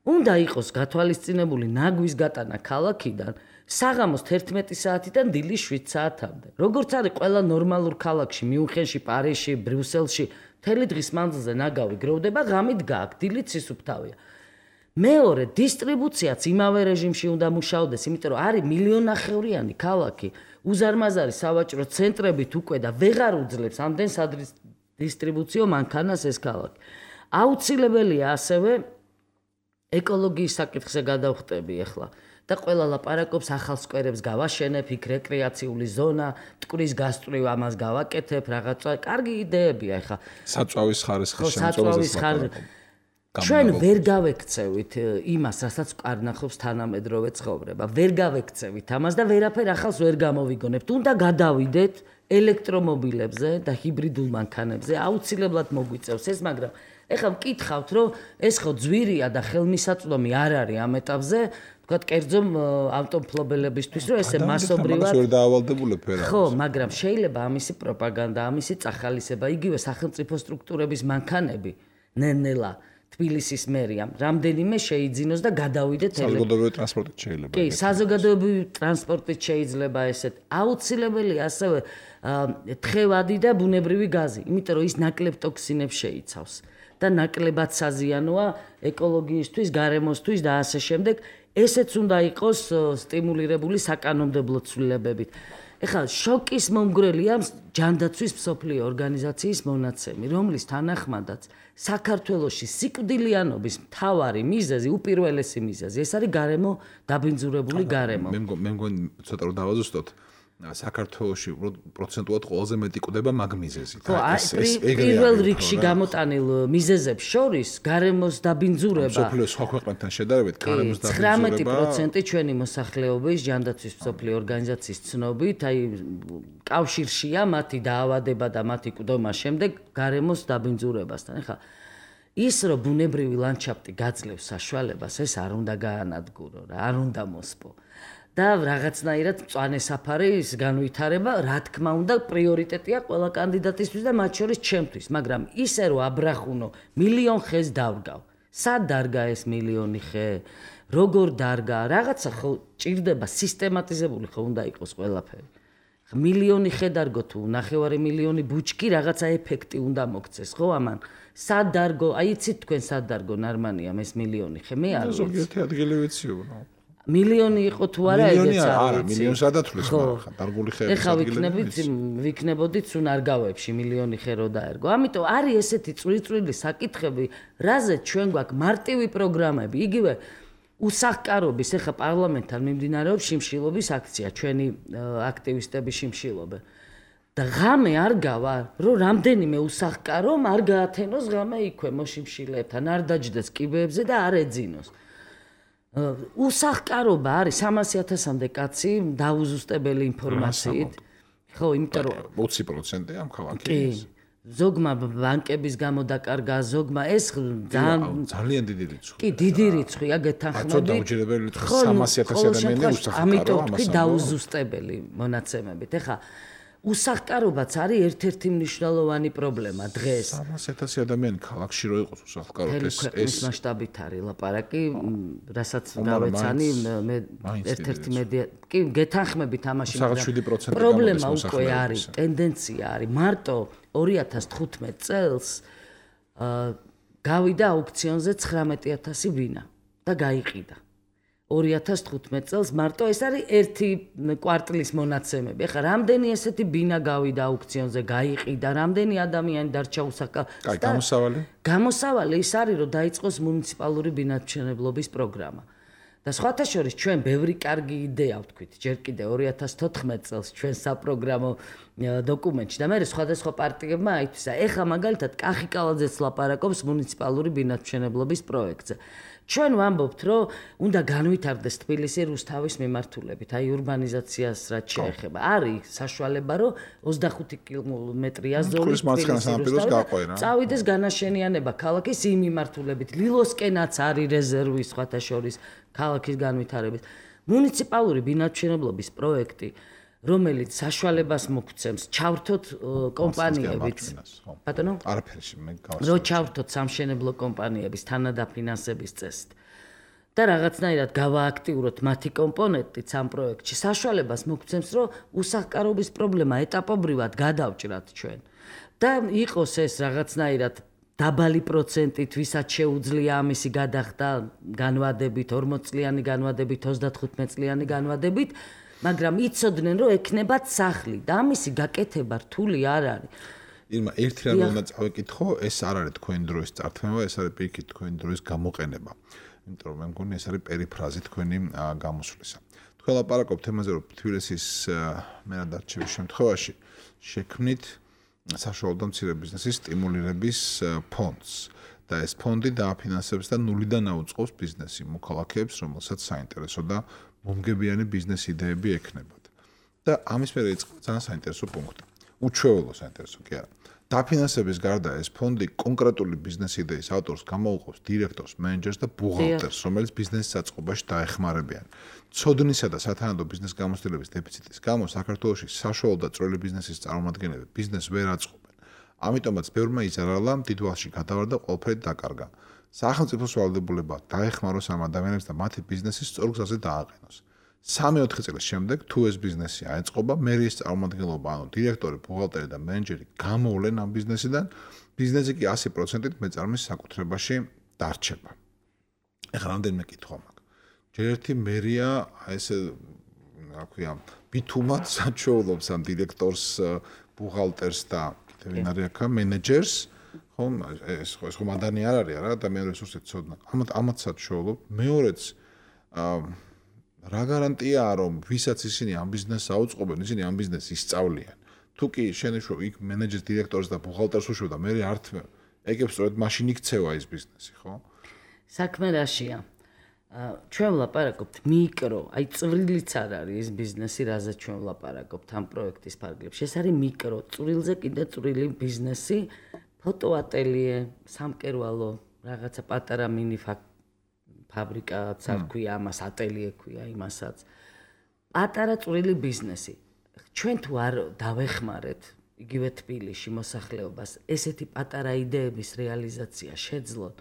უნდა იყოს გათვალისწინებული ნაგვის გატანა ქალაქიდან საღამოს თერთმეტი საათიდან დილის შვიდ საათამდე. როგორც არის ყველა ნორმალურ ქალაქში, მიუნხენში, პარიზში, ბრიუსელში მთელი დღის მანძილზე ნაგავი გროვდება, ღამით გააქვს, დილით სისუფთავეა. მეორე, დისტრიბუციაც იმავე რეჟიმში უნდა მუშაობდეს, იმიტომ რომ არის მილიონნახევრიანი ქალაქი, უზარმაზარი სავაჭრო ცენტრებით უკვე და ვეღარ უძლებს ამდენ სადისტრიბუციო მანქანას ეს ქალაქი. აუცილებელია ასევე ეკოლოგიის საკითხზე გადავხტები ახლა. და ყველა ლაპარაკობს ახალ სკვერებს გავაშენებ, იქ რეკრეაციული ზონა, მტკვრის გასწვრივ ამას გავაკეთებ, რაღაცა კარგი იდეებია ახლა. საწვავის ხარისხის შემოწმებაზე ლაპარაკობ. ჩვენ ვერ გავექცევით იმას, რასაც კარნახობს თანამედროვე ცხოვრება. ვერ გავექცევით ამას და ვერაფერ ახალს ვერ გამოვიგონებთ. უნდა გადავიდეთ ელექტრომობილებზე და ჰიბრიდულ მანქანებზე. აუცილებლად მოგვიწევს ეს, მაგრამ ეხლა მკითხავთ, რომ ეს ხო ძვირია და ხელმისაწვდომი არ არის ამ ეტაპზე, ვთქვათ, კერძო ავტომფლობელებისთვის, რომ ესე მასობრივად ვერ დაავალდებულებ ფერად. ხო, მაგრამ შეიძლება ამისი პროპაგანდა, ამისი წახალისება, იგივე სახელმწიფო სტრუქტურების მანქანები ნელ-ნელა თბილისის მერიამ რამდენიმე შეიძინოს და გადავიდეთ საზოგადოებრივი ტრანსპორტით შეიძლება. კი, საზოგადოებრივი ტრანსპორტით შეიძლება ესეთ. აუცილებელია ასევე თხევადი და ბუნებრივი გაზი, იმიტომ რომ ის ნაკლებ ტოქსინებს შეიცავს და ნაკლებად საზიანოა ეკოლოგიისთვის, გარემოსთვის და ასე შემდეგ. ესეც უნდა იყოს სტიმულირებული საკანონმდებლო ცვლილებებით. ეხლა შოკის მომგვრელია ჯანდაცვის მსოფლიო ორგანიზაციის მონაცემი, რომლის თანახმადაც საქართველოში სიკვდილიანობის მთავარი მიზეზი, უპირველესი მიზეზი, ეს არის გარემო დაბინძურებული გარემო. მე მე მგონი ცოტა რომ დავაზუსტოთ. საქართველოში პროცენტულად ყველაზე მეტი კვდება მაგ მიზეზით. ეს ეს პირველ რიგში გამოტანილ მიზეზებს შორის გარემოს დაბინძურება. მსოფლიოს სხვა ქვეყნებთან შედარებით გარემოს დაბინძურება ცხრამეტი პროცენტი ჩვენი მოსახლეობის ჯანდაცვის მსოფლიო ორგანიზაციის ცნობით, აი კავშირშია მათი დაავადება და მათი კვდომა შემდეგ გარემოს დაბინძურებასთან. ეხლა ის რომ ბუნებრივი ლანდშაფტი გაძლევს საშუალებას, ეს არ უნდა გაანადგურო რა, არ უნდა მოსპო. და რაღაცნაირად მწვანე საფარის განვითარება, რა თქმა უნდა, პრიორიტეტია ყველა კანდიდატისთვის და მათ შორის ჩემთვის, მაგრამ ისე რომ აბრახუნო, მილიონ ხეს დავდგავ. სად დარგა ეს მილიონი ხე? როგორ დარგა? რაღაცა ხო ჭირდება სისტემატიზებული ხო უნდა იყოს ყველაფერი. მილიონი ხე დარგო თუ ნახევარი მილიონი ბუჩქი რაღაცა ეფექტი უნდა მოგცეს, ხო ამან? სად დარგო? აი იცით თქვენ სად დარგო ნარმანია ეს მილიონი ხე? მე არ ვიცი. ზოგიერთი ადგილი ვიციო. მილიონი იყო თუ არა ეგეც მილიონი არა, მილიონს ადათვლის მაგრამ დარგული ხეების ეხლა ვიქნებით ვიქნებოდით სუნარგავებში მილიონი ხე რო დაერგო. ამიტომ არის ესეთი წვრილ-წვრილი საკითხები, რაზეც ჩვენ გვაქვს მარტივი პროგრამები. იგივე უსახკარობის ეხლა პარლამენტთან მიმდინარეობს შიმშილობის აქცია, ჩვენი აქტივისტები შიმშილობენ. და ღამე არ გავა, რომ რამდენიმე უსახკარომ არ გაათენოს ღამე იქვე მოშიმშილეებთან, არ დაჯდეს კიბეებზე და არ ეძინოს. უსახკარობა არის სამასი ათასამდე კაცი დაუზუსტებელი ინფორმაციით. ხო, იმიტომ რომ ოცი პროცენტი ამ ქალაქის. ზოგმა ბანკების გამო დაკარგა, ზოგმა ეს ძალიან ძალიან დიდი რიცხვი. კი, დიდი რიცხვია გეთანხმები. ხო, დაუჯერებელი რიცხვი სამასი ათასი ადამიანი უსახკარო. ამიტომ თქვი დაუზუსტებელი მონაცემებით. ეხლა უსახკარობაც არის ერთ-ერთი მნიშვნელოვანი პრობლემა დღეს. სამასი ათასი ადამიანი ქალაქში რო იყოს უსახკარო ეს ეს მასშტაბით არის ლაპარაკი, რასაც გავეცანი მე ერთ-ერთი მედია კი გეთანხმებით ამაში, მაგრამ პრობლემა უკვე არის, ტენდენცია არის. მარტო ორი ათას თხუთმეტ წელს გავიდა აუქციონზე ცხრამეტი ათასი ბინა და გაიყიდა. ორი ათას თხუთმეტ წელს მარტო ეს არის ერთი კვარტლის მონაცემები. ეხლა რამდენი ესეთი ბინა გავიდა აუქციონზე, გაიყიდა, რამდენი ადამიანი დარჩა უსახკარო. კაი, გამოსავალი? გამოსავალი ის არის, რომ დაიწყოს მუნიციპალური ბინათმშენებლობის პროგრამა. და სხვათა შორის ჩვენ ბევრი კარგი იდეა ვთქვით, ჯერ კიდე ორი ათას თოთხმეტ წელს ჩვენ საპროგრამო დოკუმენტში და მე სხვადასხვა პარტიებმა აითვისა. ეხლა მაგალითად კახიკალაძეც ლაპარაკობს მუნიციპალური ბინათმშენებლობის პროექტზე. ჩვენ ვამბობთ, რომ უნდა განვითარდეს თბილისი რუსთავის მიმართულებით, აი ურბანიზაციას რაც შეეხება. არის საშუალება, რომ ოცდახუთი კილომეტრია ზოლით წავიდეს განაშენიანება ქალაქის იმ მიმართულებით. ლილოსკენაც არის რეზერვი სხვათა შორის ქალაქის განვითარების. მუნიციპალური ბინათმშენებლობის პროექტი, რომელიც საშუალებას მოგცემს ჩავრთოთ კომპანიებით. ბატონო? არაფერში მე გავასწავლე. რო ჩავრთოთ სამშენებლო კომპანიების თანადაფინანსების წესით. და რაღაცნაირად გავააქტიუროთ მათი კომპონენტით ამ პროექტში. საშუალებას მოგცემს, რომ უსახკარობის პრობლემა ეტაპობრივად გადავჭრათ ჩვენ. და იყოს ეს რაღაცნაირად დაბალი პროცენტით, ვისაც შეუძლია ამისი გადახდა განვადებით, ორმოც წლიანი განვადებით, ოცდათხუთმეტ წლიანი განვადებით. მაგრამ იცოდნენ, რომ ექნებათ სახლი და ამისი გაკეთება რთული არ არის. ირმა, ერთი რამ უნდა წავიკითხო, ეს არ არის თქვენი დროის წართმევა, ეს არის პირიქით თქვენი დროის გამოყენება. იმიტომ რომ მე მგონი ეს არის პერიფრაზი თქვენი გამოსვლისა. თქვენ ლაპარაკობთ თემაზე, რომ თბილისის მენადარჩევის შემთხვევაში შექმნით საშუალო და მცირე ბიზნესის სტიმულირების ფონდს. და ეს ფონდი დააფინანსებს და ნულიდან აუწყობს ბიზნესი მოქალაქეებს, რომელსაც საინტერესო და მომგებიანი ბიზნეს იდეები ექნებათ. და ამის მერე იწყება ძალიან საინტერესო პუნქტი. უჩვეულო საინტერესო კი არა. დაფინანსების გარდა ეს ფონდი კონკრეტული ბიზნეს იდეის ავტორს გამოუყოფს დირექტორს, მენეჯერს და ბუღალტერს, რომელიც ბიზნესის საწყობაში დაეხმარებიან. ცოდნისა და სათანადო ბიზნეს გამოცდილების დეფიციტის გამო საქართველოში საშუალო და წვრილი ბიზნესის წარმომადგენლები ბიზნესს ვერ აწყობენ. ამიტომაც ბევრმა იზარალა, დიდვალში გადავარ და ყველაფერი დაკარგა. სახელმწიფოს ვალდებულება დაეხმაროს ამ ადამიანებს და მათი ბიზნესი სწორ გზაზე დააყენოს. სამი-ოთხი წლის შემდეგ თუ ეს ბიზნესი აეწყობა, მერიის წარმომადგენლობა, ანუ დირექტორი, ბუღალტერი და მენეჯერი გამოვლენ ამ ბიზნესიდან, ბიზნესი კი ასი პროცენტით მეწარმის საკუთრებაში დარჩება. ეხლა რამდენიმე კითხვა მაქვს. ჯერ ერთი მერია ესე რა ქვია, ბითუმად საჩვეულობს ამ დირექტორს, ბუღალტერს და ვინ არის აქ მენეჯერს, ხო, ეს ხო ეს ხო მანდანი არ არის რა, ადამიანური რესურსით ცოდნა. ამათ ამათსაც შოულობ. მეორეც რა გარანტიაა რომ ვისაც ისინი ამ ბიზნესს აუწყობენ, ისინი ამ ბიზნესს ისწავლიან. თუ კი შენიშნო იქ მენეჯერს, დირექტორს და ბუხალტერს უშვებ და მე არ ეგებს სწორედ მაშინ იქცევა ეს ბიზნესი, ხო? საქმე რაშია? ჩვენ ვლაპარაკობთ მიკრო, აი წვრილიც არ არის ეს ბიზნესი, რაზეც ჩვენ ვლაპარაკობთ ამ პროექტის ფარგლებში. ეს არის მიკრო, წვრილზე კიდე წვრილი ბიზნესი, ფოტოატელიე, სამკერვალო, რაღაცა პატარა მინი ფაბრიკაც არ ქვია, ამას ატელიე ქვია იმასაც. პატარა წვრილი ბიზნესი. ჩვენ თუ არ დავეხმარეთ იგივე თბილისში მოსახლეობას ესეთი პატარა იდეების რეალიზაცია შეძლოთ,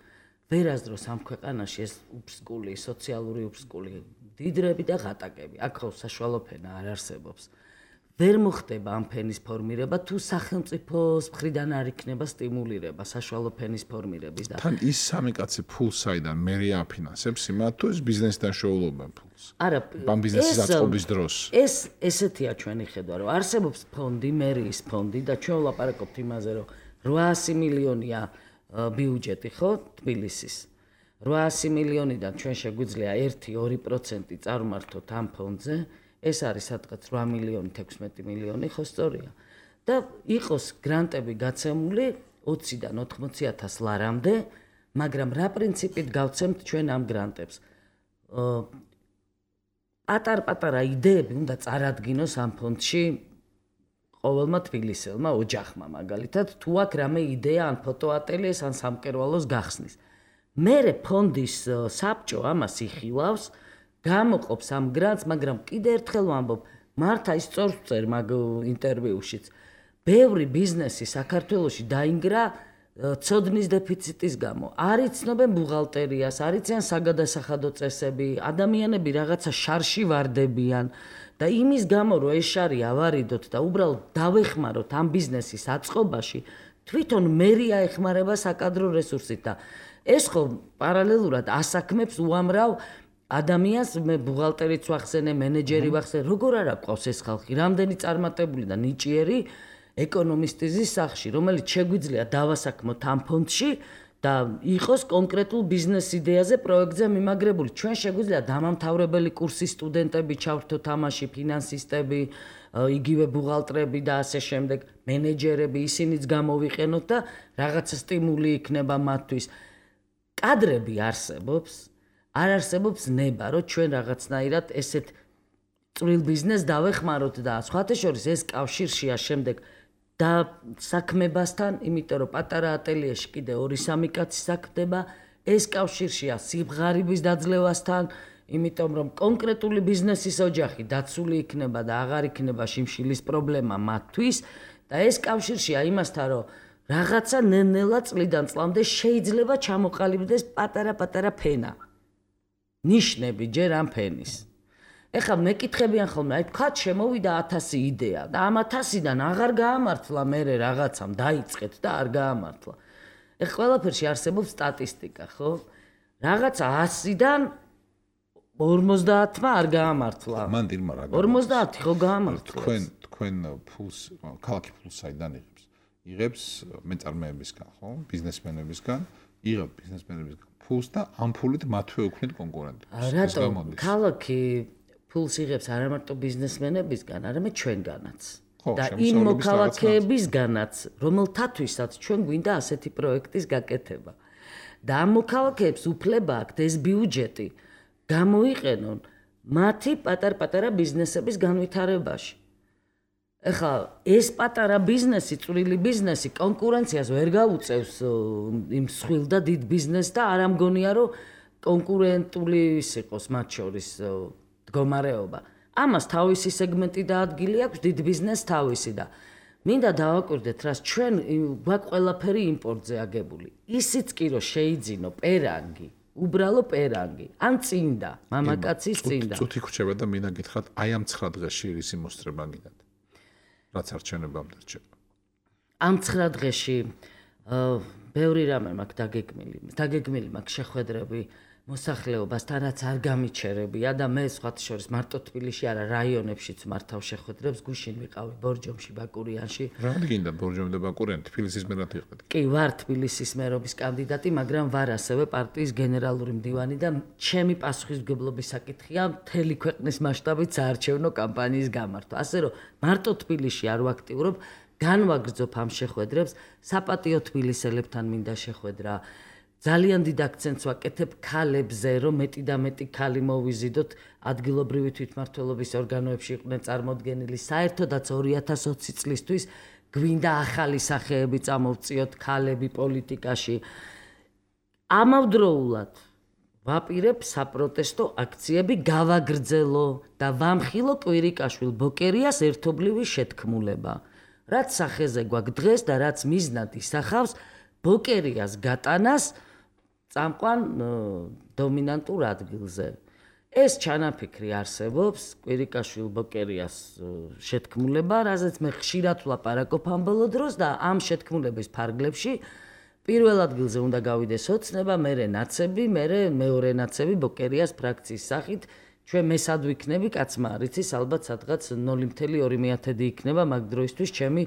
ვერასდროს ამ ქვეყანაში ეს უფსკული, სოციალური უფსკული დიდრები და ღატაკები, აქ ხო საშუალო ფენა არ არსებობს. ვერ მოხდება ამ ფენის ფორმირება თუ სახელმწიფოს მხრიდან არ იქნება სტიმულირება საშუალო ფენის ფორმირების და თან ის სამი კაცი ფულს საიდან მერია აფინანსებს იმათ თუ ეს ბიზნესთან შეულობენ ფულს. არა, ამ ბიზნესის აწყობის დროს. ეს ესეთია ჩვენი ხედვა, რომ არსებობს ფონდი, მერიის ფონდი და ჩვენ ვლაპარაკობთ იმაზე, რომ რვაასი მილიონია ბიუჯეტი, ხო, თბილისის. რვაასი მილიონიდან ჩვენ შეგვიძლია ერთი ორი პროცენტი წარმართოთ ამ ფონდზე. ეს არის სადღაც რვა მილიონი თექვსმეტი მილიონი, ხო სწორია. და იყოს გრანტები გაცემული ოციდან ოთხმოცი ათას ლარამდე, მაგრამ რა პრინციპით გავცემთ ჩვენ ამ გრანტებს? პატარ-პატარა იდეები უნდა წარადგინოს ამ ფონდში ყოველმა თბილისელმა ოჯახმა, მაგალითად, თუ აქ რამე იდეა ან ფოტოატელიეს ან სამკერვალოს გახსნის. მერე ფონდის საბჭო ამას იხილავს, გამოყოფს ამ გრანტს, მაგრამ კიდე ერთხელ ვამბობ, მართა ის სწორს წერ მაგ ინტერვიუშიც. ბევრი ბიზნესი საქართველოში დაინგრა ცოდნის დეფიციტის გამო. არ იცნობენ ბუღალტერიას, არ იციან საგადასახადო წესები, ადამიანები რაღაცა შარში ვარდებიან და იმის გამო რომ ეს შარი ავარიდოთ და უბრალოდ დავეხმაროთ ამ ბიზნესის აწყობაში, თვითონ მერია ეხმარება საკადრო რესურსით და ეს ხო პარალელურად ასაქმებს უამრავ ადამიანს, მე ბუღალტერიც ვახსენე, მენეჯერი ვახსენე, როგორ არ აყვავს ეს ხალხი, რამდენი წარმატებული და ნიჭიერი ეკონომისტის სახში, რომელიც შეგვიძლია დავასაქმოთ ამ ფონდში და იყოს კონკრეტულ ბიზნეს იდეაზე პროექტზე მიმაგრებული. ჩვენ შეგვიძლია დამამთავრებელი კურსის სტუდენტები ჩავრთოთ ამაში, ფინანსისტები, იგივე ბუღალტრები და ასე შემდეგ, მენეჯერები, ისინიც გამოვიყენოთ და რაღაცა სტიმული იქნება მათთვის. კადრები არსებობს, არ არსებობს ნება, რომ ჩვენ რაღაცნაირად ესეთ წვრილ ბიზნესს დავეხმაროთ და სხვათა შორის ეს კავშირშია შემდეგ და საქმებასთან, იმიტომ რომ პატარა ატელიეში კიდე ორი სამი კაცი საქმდება, ეს კავშირშია სიბღარიბის დაძლევასთან, იმიტომ რომ კონკრეტული ბიზნესის ოჯახი დაცული იქნება და აღარ იქნება შიმშილის პრობლემა მათთვის და ეს კავშირშია იმასთან, რომ რაღაცა ნელ-ნელა წლიდან წლამდე შეიძლება ჩამოყალიბდეს პატარა-პატარა ფენა. ნიშნები ჯერ ამ ფენის. ეხლა მეკითხებიან ხოლმე, აი თქვა შემოვიდა ათასი იდეა და ამ ათასიდან აღარ გაამართლა მერე რაღაცამ დაიწყეთ და არ გაამართლა. ეხლა ყველაფერში არსებობს სტატისტიკა, ხო? რაღაცა ასიდან ორმოცდაათმა არ გაამართლა. მან დილმა რა გაამართლა? ორმოცდაათი ხო გაამართლა. თქვენ თქვენ ფულს, ქალაქი ფულს საიდან იღებს? იღებს მეწარმეებისგან, ხო? ბიზნესმენებისგან, იღებ ბიზნესმენებისგან ფულს და ამ ფულით მათვე უქმნით კონკურენტებს. რატო ქალაქი ფულს იღებს არა მარტო ბიზნესმენებისგან, არამედ ჩვენგანაც. და იმ მოქალაქეებისგანაც, რომელთათვისაც ჩვენ გვინდა ასეთი პროექტის გაკეთება. და ამ მოქალაქეებს უფლება აქვთ ეს ბიუჯეტი გამოიყენონ მათი პატარ-პატარა ბიზნესების განვითარებაში. ეხლა ეს პატარა ბიზნესი, წვრილი ბიზნესი კონკურენციას ვერ გაუწევს იმ სხვილ და დიდ ბიზნესს და არ ამგონია რომ კონკურენტული ის იყოს მათ შორის მდგომარეობა. ამას თავისი სეგმენტი და ადგილი აქვს, დიდ ბიზნესს თავისი და მინდა დავაკვირდეთ, რაც ჩვენ გვაქვს ყველაფერი იმპორტზე აგებული. ისიც კი რომ შეიძინო პერანგი, უბრალო პერანგი, ან წინდა, მამაკაცის წინდა. წუთი ხრჩება და მინდა გითხრათ, აი ამ ცხრა დღეში რისი მოსწრება გინდათ? რაც არჩევნებამდე რჩება. ამ ცხრა დღეში ბევრი რამე მაქვს დაგეგმილი, დაგეგმილი მაქვს შეხვედრები მოსახლეობასთან რაც არ გამიჩერებია და მე სხვათა შორის მარტო თბილისში არა რაიონებშიც მართავ შეხვედრებს გუშინ ვიყავი ბორჯომში ბაკურიანში რა გინდა ბორჯომი და ბაკურიანი თბილისის მერად იყდეთ კი ვარ თბილისის მერობის კანდიდატი მაგრამ ვარ ასევე პარტიის გენერალური მდივანი და ჩემი პასუხისმგებლობის საკითხია მთელი ქვეყნის მასშტაბით საარჩევნო კამპანიის გამართვა ასე რომ მარტო თბილისში არ ვაქტიურობ განვაგრძობ ამ შეხვედრებს საპატიო თბილისელებთან მინდა შეხვედრა ძალიან დიდ აქცენტს ვაკეთებ ქალებზე, რომ მეტი და მეტი ქალი მოვიზიდოთ ადგილობრივი თვითმმართველობის ორგანოებში იყვნენ წარმოდგენილი. საერთოდაც ორი ათას ოცი წლისთვის გვინდა ახალი სახეები წამოვწიოთ ქალები პოლიტიკაში. ამავდროულად ვაპირებ საპროტესტო აქციები გავაგრძელო და ვამხილო კვირიკაშვილ ბოკერიას ერთობლივი შეთქმულება. რაც სახეზე გვაქვს დღეს და რაც მიზნად ისახავს ბოკერიას გატანას წამყვან დომინანტურ ადგილზე. ეს ჩანაფიქრი არსებობს კვირიკაშვილ ბოკერიას შეთქმულება, რაზეც მე ხშირად ვლაპარაკობ ამ ბოლო დროს და ამ შეთქმულების ფარგლებში პირველ ადგილზე უნდა გავიდეს ოცნება, მერე ნაცები, მერე მეორე ნაცები ბოკერიას ფრაქციის სახით. ჩვენ მესად ვიქნები, კაცმა არ იცის, ალბათ სადღაც ნული მცდე ორი მეათედი იქნება მაგ დროისთვის ჩემი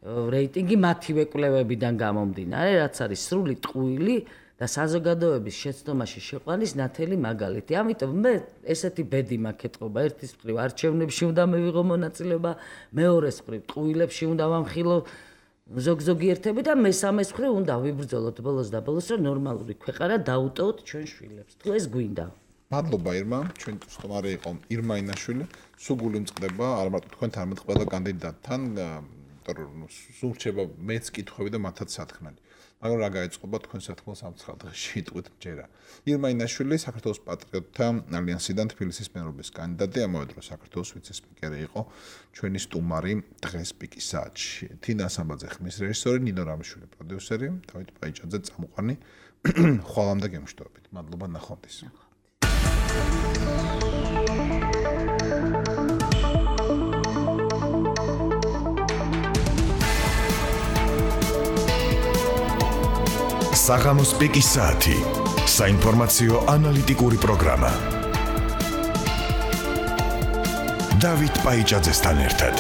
რეიტინგი მათივე კვლევებიდან გამომდინარე, რაც არის სრული ტყუილი და საზოგადოების შეცდომაში შეყვანის ნათელი მაგალითი. ამიტომ მე ესეთი ბედი მაქვს ეთყობა, ერთის მხრივ არჩევნებში უნდა მევიღო მონაწილეობა, მეორეს მხრივ ტყუილებში უნდა ვამხილო ზოგ-ზოგიერთები და მესამეს მხრივ უნდა ვიბრძოლოთ ბოლოს და ბოლოს, რომ ნორმალური ქვეყანა დაუტოვოთ ჩვენ შვილებს. თუ ეს გვინდა. მადლობა ირმა, ჩვენ სტუმარი იყო ირმა ინაშვილი. სუგული მწყდება, არ მარტო თქვენ თორმეტ ყველა კანდიდატთან სულ რჩება მეც კითხვები და მათაც სათქმელი. მაგრამ რა გაეწყობა თქვენ სათქმელს ამ ცხრა დღეში იტყვით მჯერა. ირმა ინაშვილი საქართველოს პატრიოტთა ალიანსიდან თბილისის მერობის კანდიდატი, ამავე დროს საქართველოს ვიცე-სპიკერი იყო ჩვენი სტუმარი დღეს პიკის საათში. თინა სამბაძე ხმის რეჟისორი, ნინო რამიშვილი პროდიუსერი, დავით პაიჭაძე წამყვანი. ხვალამდე გემშვიდობით. მადლობა ნახვამდის. საღამოს პიკის საათი. საინფორმაციო ანალიტიკური პროგრამა. დავით პაიჭაძესთან ერთად.